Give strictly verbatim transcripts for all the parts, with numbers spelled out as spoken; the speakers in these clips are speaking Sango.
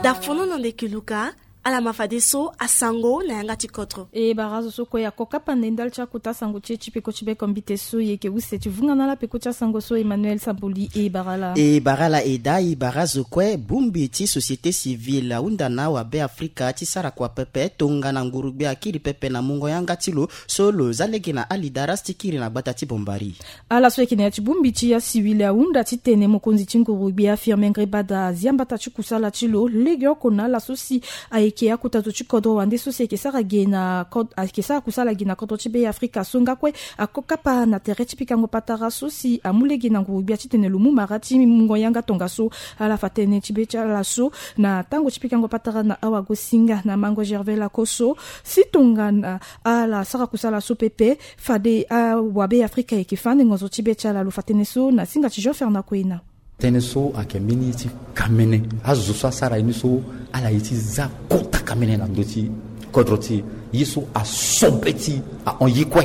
Dafono na ndeke luka. Ala ma fadeso asango na yanga ti kodro. E bara azo so kue ako kapa na e ndali ti akota sango ti e ti peko ti beko mbite so e yeke use ti vunga na ala peko ti asango so. Emmanuel Samboli, e bara ala. E bara ala e daa, e bara azo kue. Bongbi ti société civile ahunda na awabe afrika ti sara kua pepe tongana nguru-gbia akiri pepe na mungo yanga ti lo so lo za lege na Ali Daras ti kiri na gbata ti Bombari. Ala so ayeke na ya ti bongbi ti asiwili ahunda titene mokonzi ti nguru-gbia Firmin Ngrébada azia mbata ti kusala ti lo legeoko na ala so si ayeke akota zo ti kodro wande so si ayeke sara ge na kod-, ayeke sara kusala ge na kodro ti Be Afrika so nga kue ako kapa na tere ti pikango patara so si amu lege na nguru-gbia titene lo mu mara ti mungo yanga tongaso. Ala fa tënë ti be ti ala so na tango ti pikango patara na awagosinga na mango Gervais Lakosso si tongana ala sara kusala so pepe. Fade awabe Afrika ayeke fa ande ngonzo ti be ti ala. Lo fa tënë so na singa ti Jean Fernand Koena. Tënë so ayeke mbeni ti kamene. Azo so asara ye ni so ala ye ti za kota kamene na ndö ti kodro ti e. Ye so aso be ti ahon ye kue.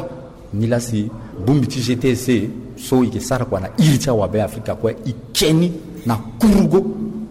Nilaa si bongbi ti G T C so e yeke sara kua na iri ti awabe Afrika kue, e ke ni na kurugo.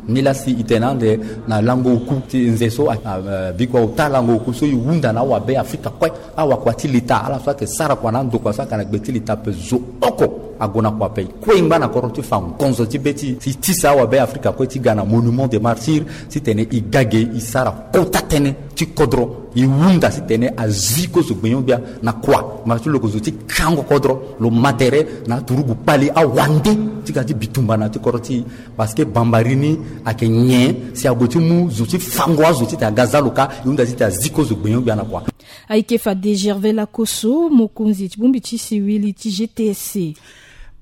Nilaa si e tene ande na lango oku ti nze so a, a, a, bikua ota lango oku so e hunda na awabe Afrika kue. Awakua ti leta, ala so ayeke sara kua na andokua so ayeke na gbe ti leta ape, zo oko ague na kua ape. E kue e ngba na kodro ti fa ngonzo ti be ti e si e tisa awabe Afrika kue ti ga na monument des martyrs titene e ga ge e sara kota tënë ti kodro. E hunda titene azi kue zo gbenyo-gbia na kua. Mara ti lo yeke zo ti kango kodro, lo ma tere na aturugu kpali awande ti ga ti bitumba na ya ti kodro ti e. Parce que Bambari ni ayeke nyen si ague ti mu zo ti fango azo titene aga za lo ka. E hunda titene azi kue zo gbenyo-gbia na kua. Ayeke fade Gervais Lakosso, mokonzi ti bongbi ti siwili ti G T S C.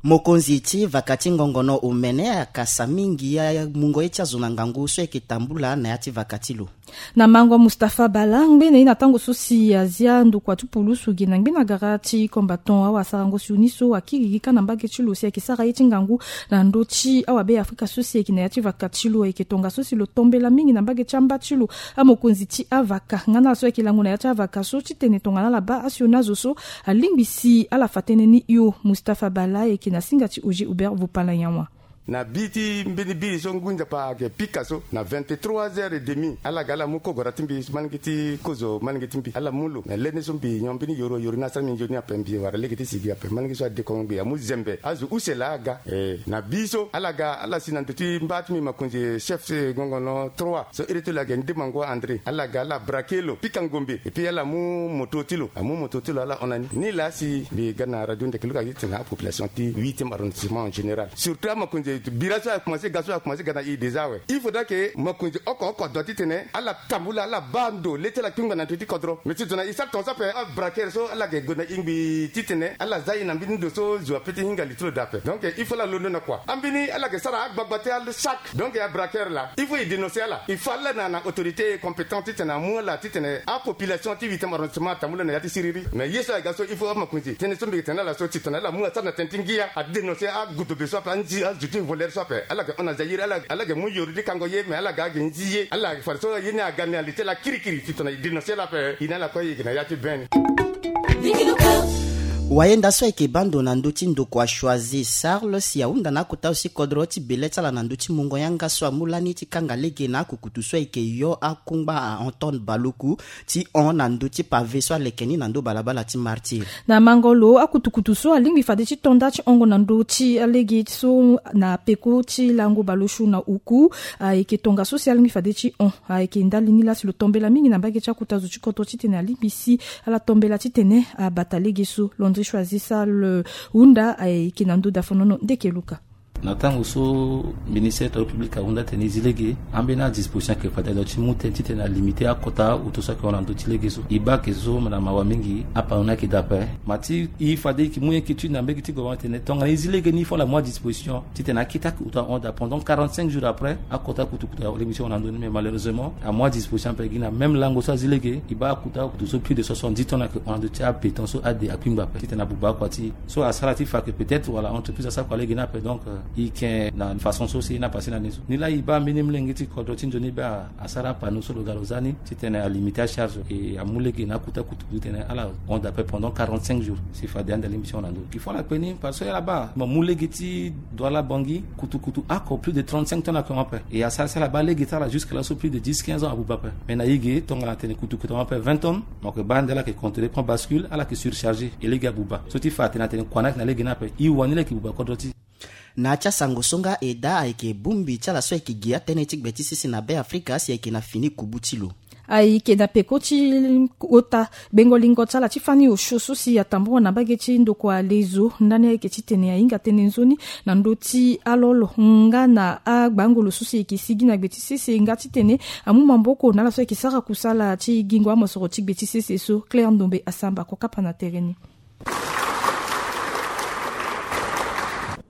Mokonzi ti vaka ti ngongono omene akasa mingi amungo ye ti azo na ngangu so ayeke tambula na ya ti vaka ti lo. Na mango Mustapha Bala, ngbene ye na tango so si azia ndokua ti pulusu ge na ngbene agara ti combattant, awasarango sioni so akiri gi ka na mbage ti lo si ayeke sara ye ti ngangu na ndö ti awabe Afrika so si ayeke na ya ti vaka ti lo. Ayeke tongaso si lo tombela mingi na mbage ti amba ti lo amokonzi ti avaka nga na ala so ayeke lango na ya ti avaka so titene tongana ala baa asioni azo so alingbi si ala fa tënë ni hio. Mustapha Bala ayeke na singa ti Oger Hubert Vopala Yawa. Na bi ti mbeni biri so ngu nzapa ayeke pika so na vingt-trois heures et demi, ala ga ala mu kogora ti mbi, malenge ti kozo, malenge ti mbi, ala mu lo na leni so mbi nyon mbeni yoro yoro ni asara mbi nzoni ape, mbi wara lege ti sigi ape, malenge so adekongo mbi amu zembe azo use laa aga. Eh, na bi so ala ga ala si na ndo ti mba ti mbi makonzi chef, eh, ngongono trois so iri ti lo ayeke Ndemango André, ala ga ala braquer lo, pika ngombe, et puis ala mu moto ti lo, amu moto ti lo ala hon na ni. Nilaa si mbi ga na radio Ndekeluka titene apopulation ti huitième arrondissement en général, surtout amakonzi bira so akomanse ga so akomanse ga na e déjà awe. Il faudra que makonzi oko oko adoit titene ala tambula, ala baa ndo le ti ala kpingba na ndo ti kodro. Mais titene e sara tongaso ape, abraquer so ala yeke gue na e ngbii titene ala za e na mbeni ndo so zo ape ti hinga li ti lo daa ape. Donc il faut ala londo na kua. Ambeni ala yeke sara agbagba ti ala chaque. Donc abraquer laa, il faut e dénoncer ala. E fa ala na, na autorité compétente titene amu ala titene apopulation ti huitième arrondissement atambula na ya ti siriri. Mais ye so ayeke ga so, il faut amakonzi tënë so mbi yeke tene na ala so titene ala mu asara na tënë ti ngia, adénoncer agudobe so ape, anzi azo ti voleur so ape. Ala yeke hon na Zaïre, ala, ala yeke mu yoro ti kango ye, mais ala ga ayeke nzi ye. Ala yeke fade so ye ni aga na li ti ala kirikiri titene e dénoncer ala ape. E na ala kue e yeke na ya ti be ni. Wayenda so ayeke baa ndo na ndö ti ndokua Choisy Charles si ahunda na akota zo ti kodro ti bele ti ala na ndö ti mungo yanga so amu lani ti kanga lege na akukutu so ayeke yo akungba a Anton Baloku ti hon na ndö ti pave so aleke ni na ndö balabala ti Martyr. Na mango lo, akutukutu so alingbi fade ti to nda ti hongo na ndö ti alege so na peko ti lango balosu na oku, ayeke tongaso si alingbi fade ti hon. Ayeke ndali ni laa si lo tombela mingi na mbage ti akota zo ti kodro titene alingbi si ala tombela titene abata lege so. Landry Choisy Charles hunda ayeke na ndö dafonono Ndekeluka. Na tango so ministère du Travail public ahunda titene e zi lege, ambeni adisposition ayeke fade alo ti mu tënë titene alimiter akota auto so ayeke hon na ndö ti lege so. E baa ayeke zo na mawa mingi, apano ni ayeke daa ape. Ma ti e fade e yeke mu inquiétude na mbage ti gouvernement titene tongana e zi lege ni, il faut ala mu adisposition titene akete akutu ahon daa. Pendant quarante-cinq jours après, akota akutukutu alingbi ti hon na ndö ni, mais malheureusement amu adisposition ape. Gi na même lango so azi lege, e baa akota akutu so plus de soixante-dix tonnes ayeke hon na ndö ti abéton so ade akpingba ape titene abuba akua ti e. So asara ti fa que peut-être wala entreprise asara kua lege ni ape. Donc, euh, E yeke na façon so si e na pase na ni so. Ni laa e baa mbeni molenge ti kodro ti nzoni baa asara apanu so lo ga lo za ni titene alimite acharge e amu lege na akuta kutuku titene ala hon ape pendant quarante-cinq jours. Si fade ande alingbi ti hon na ndö. Il faut ala kpe ni parce que ala baa mo mu lege ti Douala Bangui kutukutu oko plus de trente-cinq tonnes ayeke hon ape. E asara si ala baa lege ti ala jusque là so plus de dix, quinze ans abuba ape. Mais na e ge tongana atene kutukutu ahon ape vingt tonnes, mo yeke baa ande ala yeke contrôler point bascule, ala yeke surcharger e lege abuba. So ti fa atene atene kua ni ayeke na lege ni ape, e wani lege buba kodro ti e. Na ya ti asango so nga e daa ayeke bongbi ti ala so ayeke gi atënë ti gbe ti sese na Be Afrika si ayeke na fini kubu ti lo. Ayeke na peko ti ota gbengo lingo ti ala ti fani osio so si atambula na mbage ti ndokua lezo ndani ayeke titene ahinga tënë nzoni na ndö ti alolo nga na agbango lo so si ayeke sigi na gbe ti sese nga titene amu maboko na ala so ayeke sara kusala ti gingo amosoro ti gbe ti sese so. Claire Ndombe Asamba akokapa na tere ni.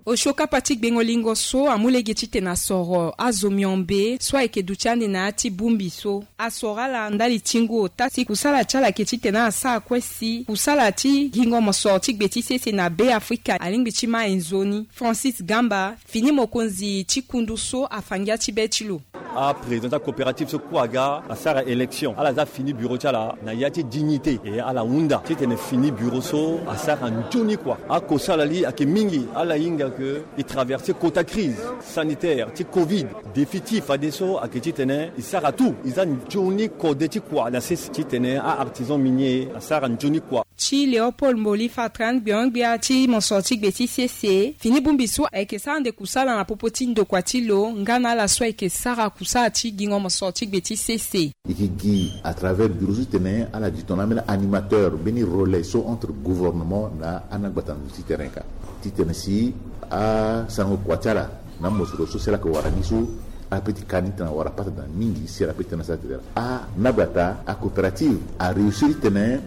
Osio kapa ti gbengo lingo so amu lege titene asoro azo miombe so ayeke duti ande na ya ti bongbi so. Asoro ala ndali ti ngu ota si kusala ti ala ayeke titene ala sara kue si kusala ti gingo mosoro ti gbe ti sese na Be Afrika alingbi ti ma e nzoni. Francis Gamba, fini mokonzi ti kundu so afa ngia ti be ti lo. Aprésident ti acoopérative so kue aga asara élection, ala za fini bureau ti ala na ya ti dignité. E ala hunda titene fini bureau so asara nzoni kua. Akosala li ayeke mingi, ala hinga ke e traverser kota crise sanitaire ti covid. Défi ti e fadeso ayeke titene e sara tout, e za nzoni kode ti kua na sese titene a-artisan minier asara nzoni kua. Ti Léopold Mboli Fatran, gbio-gbia ti mosoro ti gbe ti sese, fini bongbi so ayeke sara ande kusala na popo ti ndokua ti lo nga na ala so ayeke sara kusala ti gingo mosoro ti gbe ti sese. E yeke gi à travers bureau so titene ala gi tongana ambeni animateur, mbeni relais so entre gouvernement na ana gbata ndo ti terrain ka, titene si asango kua ti ala na mosoro so si ala yeke wara ni so, ala peut ti ka ni tena wara pata daa mingi si ala peut ti tena sara titene a na gbata acoopérative aréussir titene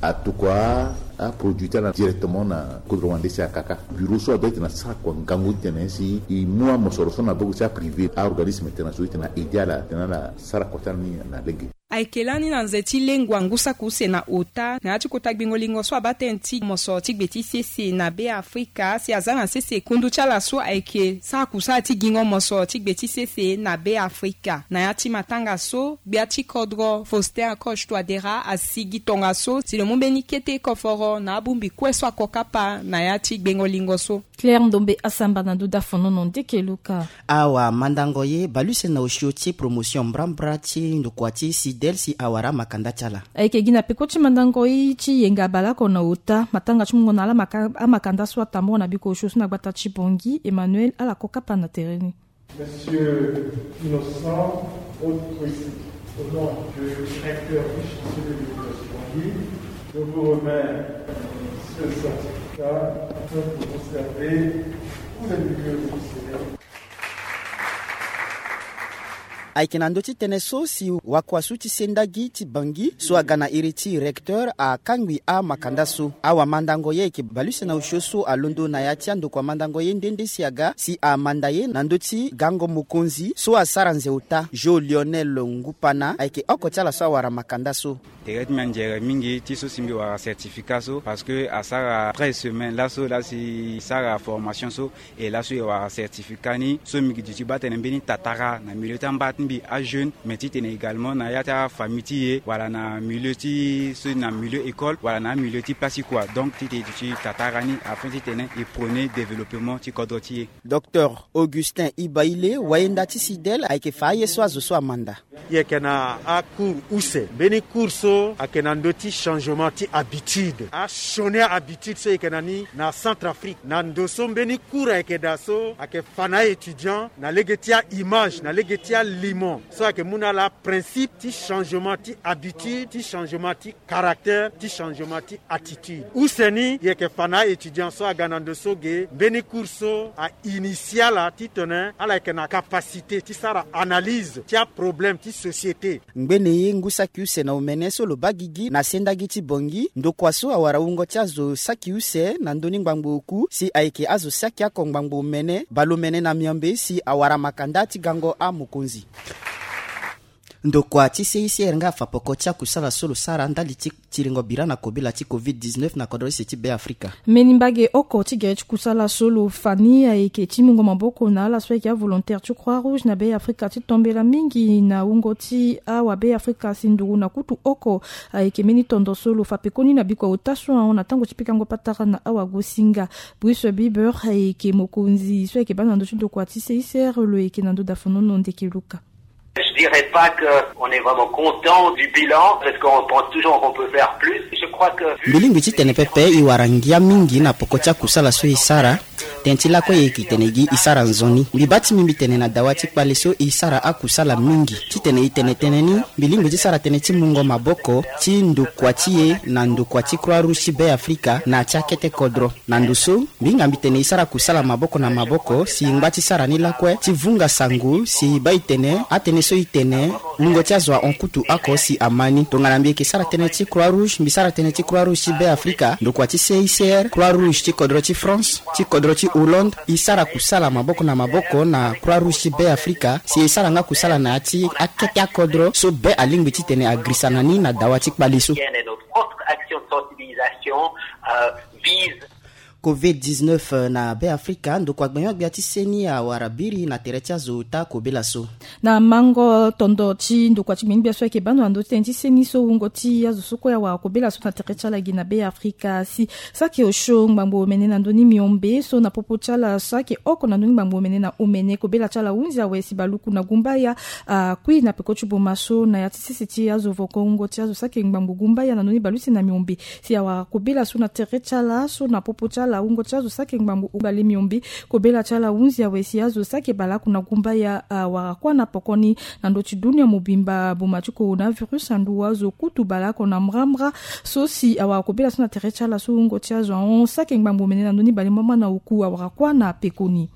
atokua aproduit ti ala directement na kodro wande si akaka. Bureau so adoit titene asara kua ngangu titene si e mu amosoro so na boko ti aprivé, aorganisme tena so titene aaider ala titene ala sara kua ti ala ni na lege. Ayeke lani na nze ti lengua ngu saki use na ota na ya ti kota gbengo lingo so abaa tënë ti mosoro ti gbe ti sese na Be Afrika si aza na sese kundu ti ala so ayeke sara kusala ti gingo mosoro ti gbe ti sese na Be Afrika. Na ya ti matanga so, gbia ti kodro Faustin Archange Touadéra asi gi tongaso si lo mu mbeni kete koforo na abongbi kue so akokapa na ya ti gbengo lingo so. Claire Ndombe Asamba na ndo dafonono ndeke luka. Awamandango ye bale use na osio ti promotion mbrambra ti ndokua ti Sidel si awara amakanda ti ala. Ayeke gi na peko ti mandango ye ti yenga baleoko na ota matanga ti mungo na ala maka-, amakanda so atambula na biko osio so na gbata ti Bangui. Emmanuel ala kokapa na tere ni. Monsieur Innocent Autre, au nom du directeur du chancelier de l'Université Bangui, je vous remets ce certificat afin que vous conservez tous les milieux officiels. Ayeke na ndö ti tënë so si wakuasu ti sendagi ti Bangui so aga na iri ti recteur akangbi amakanda so. Awamandango ye ayeke bale use na osio so alondo na ya ti andokua mandango ye nde nde si aga si amanda ye na ndö ti gango mokonzi so asara nze ota. Jo Lionel Ngupana ayeke oko ti ala so awara makanda so. Tere ti mbi anzere mingi ti so si mbi wara certificat so parce que asara treize semaines laso laa si e sara formation so. E laso e wara certificat ni so mbi gi duti baa tene mbeni tatara na milieu ti amba ti mbi ajeune mais titene également na ya ti afamille ti e wala na milieu ti so na milieu école wala na amilieu ti place ti kua. Donc titene e duti tatara ni afin titene e prôner développement ti kodro ti e. Docteur Augustin Ibaile, wayenda ti Sidel, ayeke fa aye so azo so amanda. E yeke na acours use. Mbeni cours so ayeke na ndö ti changement ti habitude. Asioni ahabitude so e yeke na ni na Centrafrique. Na ndo so mbeni cours ayeke daa so ayeke fa na aétudiant na lege ti aimage, na lege ti alimo so ayeke mu na ala principe ti changement ti habitude, ti changement ti caractère, ti changement ti attitude. Use ni e yeke fa na aétudiant so aga na ndo so ge mbeni cours so a initier ala titene ala yeke na capacité ti sara analyse ti aproblème ti société. Ngbene ye ngu saki use na omene so lo baa gigi na sendagi ti Bangui, ndokua so awara wungo ti azo saki use na ndö ni ngbangbo oku si ayeke azo saki oko ngbangbo omene baleomene na miombe si awara makanda ti gango amokonzi. Ndokua ti C I C R nga afa poko ti akusala so lo sara ndali ti tiringo bira na kobela ti covid dix-neuf na kodro use ti Be Afrika. Mbeni mbage oko ti gere ti kusala so lo fa ni ayeke ti mungo maboko na ala so ayeke avolontaire ti Croix Rouge na Be Afrika ti tombela mingi na wungo ti awa Be Afrika si nduru na kutu oko. Ayeke mbeni tondo so lo fa pekoni na bikua ota so ahon na tango ti pikango patara na awagosinga. Bruce Bieber ayeke mokonzi so ayeke baa na ndö ti ndokua ti C I C R, lo yeke na ndö dafonono ndeke luka. Je dirais pas que on est vraiment content du bilan, parce qu'on pense toujours qu'on peut faire plus. Je crois que... Mbi lingbi titene pepe e wara ngia mingi na poko ti akusala so e sara. Tënë ti lakue e yeke tene gi e sara nzoni. Mbi baa ti mbi mbi tene na dawa ti kpale so e sara akusala mingi. Titene e tene tënë ni, mbi lingbi ti sara tënë ti mungo maboko ti ndokua ti e na ndokua ti Croix Rouge ti Be Afrika na ya ti akete kodro. Na ndo so, mbi hinga mbi tene e sara kusala maboko na maboko si e ngba ti sara ni lakue ti vunga sango si e baa e tene atënë so e tene wungo ti azo ahon kutu oko si ama ni. Tongana mbi yeke sara tënë ti Croix Rouge, mbi sara tënë ti Croix Rouge ti Be Afrika, ndokua ti C I C R, Croix Rouge ti kodro ti France, ti kodro ti Hollande, e sara kusala maboko na maboko na Croix Rouge ti Be Afrika si e sara nga kusala na ya ti akete akodro so be alingbi titene agirisa na ni na dawa ti kpale so. Propre action de sensibilisation, euh, vise covid dix-neuf na Be Afrika, ndokua gbenyo-gbia ti seni awara biri na tere ti azo ota kobela so. Na mango tondo ti ndokua ti gbenyo-gbia so ayeke baa ndo na ndö ti tënë ti seni so wungo ti azo so kue awara kobela so na tere ti ala gi na Be Afrika si saki osio ngbangbo omene na ndö ni miombe so na popo ti ala saki oko na ndö ni ngbangbo omene na omene kobela ti ala hunzi awe si baluku na gumbaya akui na peko ti boma so na ya ti sese ti azo voko wungo ti azo saki ngbangbo gumbaya na ndö ni balusi na miombe si awara kobela so na tere ti ala so na popo ti ala wungo ti azo saki ngbangbo bale miombe. Kobela ti ala hunzi awe si azo saki baleoko na gumbaya awara kuâ na poko ni na ndö ti dunia mobimba boma ti coronavirus andu azo kutu baleoko na mbrambra so si awara kobela so na tere ti ala so wungo ti azo ahon saki ngbangbo omene na ndö ni bale mbamba na oku awara kuâ na peko ni.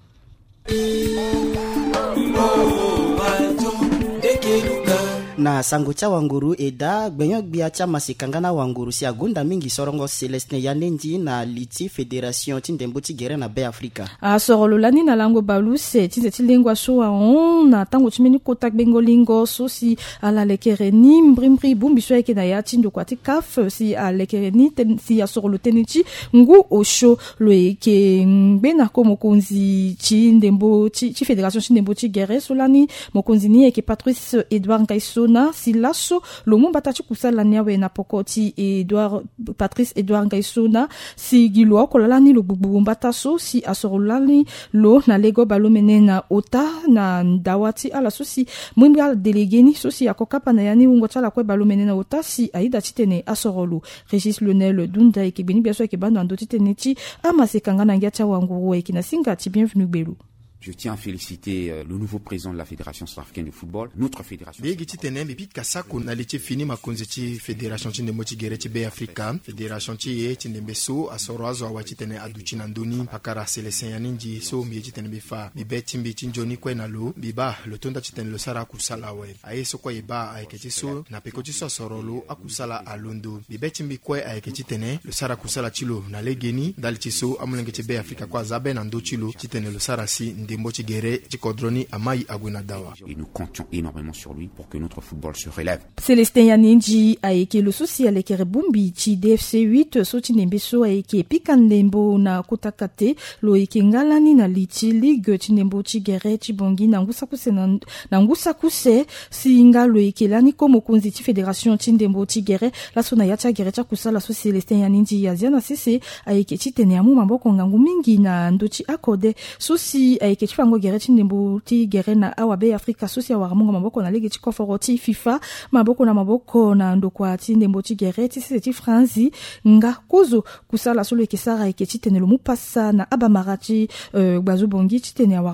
Na sango ti awanguru e daa gbenyo-gbia ti amasekanga na awanguru si agonda mingi sorongo Célestin Yanendi na li ti fédération ti ndembo ti gere na Be Afrika. Asoro lo lani na lango baleuse ti nze ti lengua so ahon na tango ti mbeni kota gbengo lingo so si ala lekere ni mbrimbri bongbi so ayeke na ya ti ndokua ti CAF si alekere ni si asoro lo tënë ti ngu osio. Lo yeke ngbena ko mokonzi ti ndembo ti fédération ti ndembo ti gere so lani mokonzi ni ayeke Patrice Edouard Ngaisona si laso lo mu mbata ti kusala ni awe na poko ti Edouard Patrice Edouard Ngaisona si gi lo oko laa lani lo gbugbu mbata so si asoro lani lo na lego baleomene na ota na dawa ti ala so si mbrimbri ala délégué ni so si ako kapa na ya ni wungo ti ala kue baleomene na ota si ayeda titene asoro lo. Régis Lionel Dunda ayeke gbeni-gbia so ayeke baa ndo na ndö ti tënë ti amasekanga na ngia ti awanguru ayeke na singa ti Bienvenu Gbelu. Je tiens à féliciter, euh, le nouveau président de la Fédération centrafricaine de football, notre fédération. Mbi yege titene mbi pika sako na li ti fini makonzi ti fédération ti ndembo ti gere ti Be Afrika. Fédération ti e ti ndembe so asoro azo awe titene aduti na ndö ni pakara Célestin Yanendi so mbi ye titene mbi fa mbi be ti mbi ti nzoni kue na lo mbi baa lo tonda titene lo sara akusala awe. Aye so kue e baa ayeke ti so na peko ti so asoro lo akusala alondo. Mbi be ti mbi kue ayeke titene lo sara kusala ti lo na legeni ndali ti so amolenge ti Be Afrika kue aza be na ndö ti lo titene lo sara si ndembo ti gere ti kodro ni amai ague na dawa. Et nous comptions énormément sur lui pour que notre football se relève. Célestin Yanendi ayeke lo so si alekere bongbi ti D F C huit so ti ndembe so ayeke pika ndembo na kota kate. Lo yeke nga lani na li ti ligue ti ndembo ti gere ti Bangui na ngu saki use na ngu saki use. Si nga lo yeke lani ko mokonzi ti fédération ti ndembo ti gere laso na ya ti agere ti akusala so Célestin Yanendi azia na sese ayeke titene amu maboko ngangu mingi na ndö ti akode so si ayeke ti fango gere ti ndembo ti gere na awa Be Afrika so si awara mungo maboko na lege ti koforo ti FIFA maboko na maboko na ndokua ti ndembo ti gere ti sese ti Franzi. Nga kozo kusala so lo yeke sara ayeke titene lo mu pasa na abamara ti, eh, gbazo Bangui titene awara